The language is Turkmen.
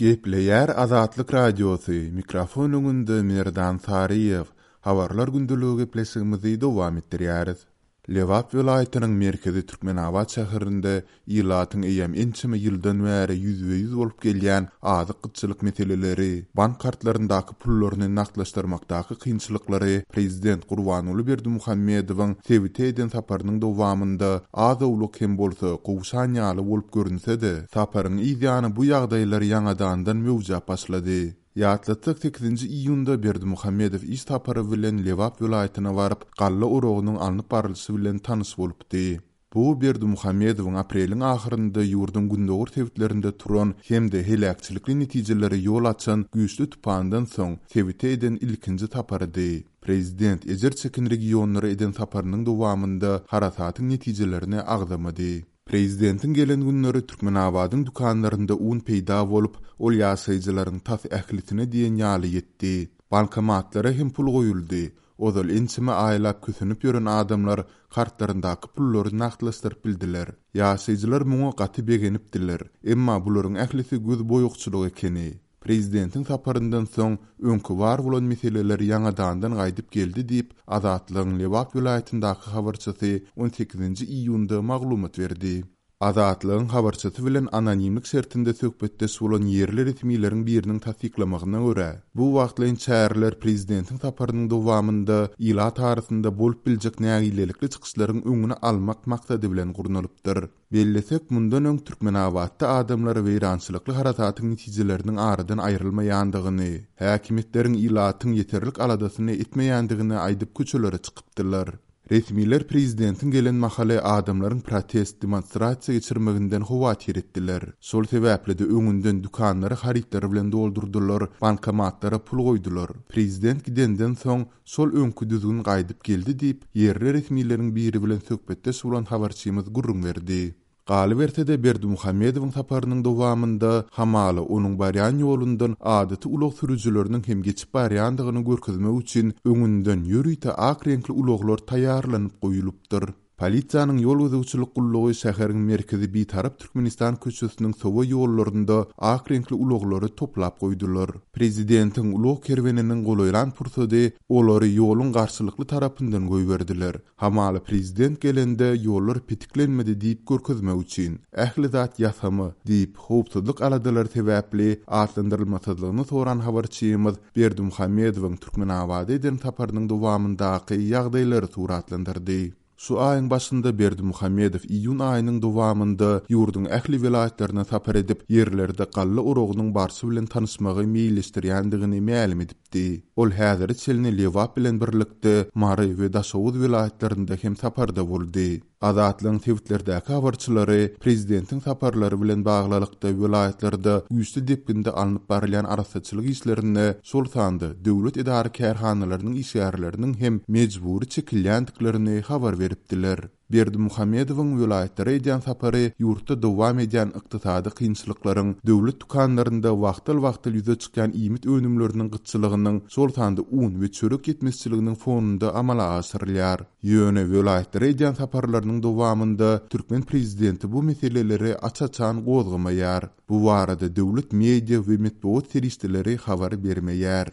Gepleýär Azatlyk Radiosy, mikrofon öňünde Merdan Saryýew. Habarlar gündeligi gepleşigimizi dowam etdirýäris. Lebap welaýatynyň merkezi Türkmenabat şäherinde ilatyň eýýäm ençeme ýyldan bäri ýüzbe-ýüz bolup gelýän azyk gytçylyk meseleleri, bank kartlaryndaky pullaryny nagtlaşdyrmakdaky kynçylyklary prezident Gurbanguly Berdimuhamedowyň sebite eden saparynyň dowamynda az-owlak hem bolsa gowşan ýaly bolup görünse-de, saparyň yz ýany bu ýagdaýlar ýaňadandan möwjäp başlady. Ýatlatsak, sekizinji iýunda Berdimuhamedow iş sapary bilen Lebap welaýatyna baryp, galla oragynyň alnyp barlyşy bilen tanyş bolupdy. Bu Berdimuhamedowyň apreliň ahyrynda ýurduň gündogar sebitlerinde turan hem-de heläkçilikli netijelere ýol açan güýçli tupandan soň sebite eden ilkinji saparydy. Prezident ejir çeken regionlara eden saparynyň dowamynda harasatyň netijelerini agzamady. Prezidentiň gelen günleri Türkmenabadyň dükanlarynda un peýda bolup, ol ýaşaýjylaryň tas ählisine diýen ýaly ýetdi. Bankomatlara hem pul goýuldy. Ozal ençeme aýlap kösenip ýören adamlar kartlaryndaky pullary nagtlaşdyryp bildiler. Ýaşaýjylar muňa gaty begenipdiler. Emma bularyň ählisi gözboýagçylyk ekeni. Prezidentiň saparyndan soň, öňki bar bolan meseleler ýaňadandan gaýdyp geldi diýip, Azatlygyň Lebap welaýatyndaky habarçysy on sekizinji iýunda maglumat berdi. Azatlygyň habarçysy bilen anonimlik şertinde söhbetdeş bolan ýerli resmileriň biriniň tassyklamagyna görä, bu wagtlaýyn çäreler prezidentiň saparynyň dowamynda ilat arasynda bolup biljek nägilelikli çykyşlaryň öňüni almak maksady bilen gurnalypdyr. Bellesek, mundan öň Türkmenabatda adamlar weýrançylykly harasatyň netijeleriniň aradan aýrylmaýandygyny, häkimiýetleriň ilatyň ýeterlik aladasyny etmeýändigini aýdyp köçelere çykypdylar. Resmiler prezidentiň gelen mahaly adamlaryň protest, demonstrasiýa geçirmeginden howatyr etdiler. Şol sebäpli-de öňünden dükanlary harytlar bilen doldurdylar, bankomatlara pul goýdular. Prezident gidenden soň, Şol öňki düzgün gaýdyp geldi diýip, ýerli resmileriň biri bilen söhbetdeş bolan habarçymyz gürrüň berdi. Galyberse-de, Berdimuhamedowyň saparynyň dowamynda, hamala, onuň barýan ýolundan adaty ulag sürüjileriniň hem geçip barýandygyny görkezmek üçin öňünden ýörite ak reňkli ulaglar taýýarlanyp goýulypdyr. Polisiýanyň ýol gözegçilik gullugy şäheriň merkezi Bitarap Türkmenistan köçesiniň sowa ýollarynda ak reňkli ulaglary toplap goýdular. Prezidentiň ulag kerweniniň golaýlan pursady olary ýoluň garşylykly tarapyndan goýberdiler. Hamala prezident gelende ýollar petiklenmedi diýip görkezmek üçin. Ähli zat ýasama, diýip, howpsuzlyk aladalary sebäpli atlandyrylmasyzlygyny soran habarçymyz Berdimuhamedowyň Türkmenabada eden saparynyň dowamyndaky ýagdaýlary suratlandyrdy. Şu aýyň başynda Berdimuhamedow iýun aýynyň dowamynda ýurduň ähli welaýatlaryna sapar edip, ýerlerde galla oragynyň barşy bilen tanyşmagy meýilleşdirýändigini mälim edipdi. Ol häzire çenli Lebap bilen birlikde Mary we Daşoguz welaýatlarynda hem saparda boldy. Azatlygyň sebitlerdäki habarçylary prezidentiň saparlary bilen baglylykda welaýatlarda güýçli depginde alnyp barylýan arassaçylyk işlerinde, şol sanda döwlet edara-kärhanalarynyň işgärleriniň hem mejbury çekilýändiklerini habar beripdiler. Berdimuhamedowyň welaýatlara edýän sapary ýurtda dowam edýän ykdysady kynçylyklaryň, döwlet dükanlarynda wagtal-wagtal ýüze çykýan iýmit önümleriniň gytçylygynyň, şol sanda un we çörek ýetmezçiliginiň fonunda amala aşyrylýar. Ýöne welaýatlara edýän saparlarynyň dowamynda türkmen prezidenti bu meseleleri aç-açan gozgamaýar. Bu barada döwlet media we metbugat serişdeleri habar bermeýär.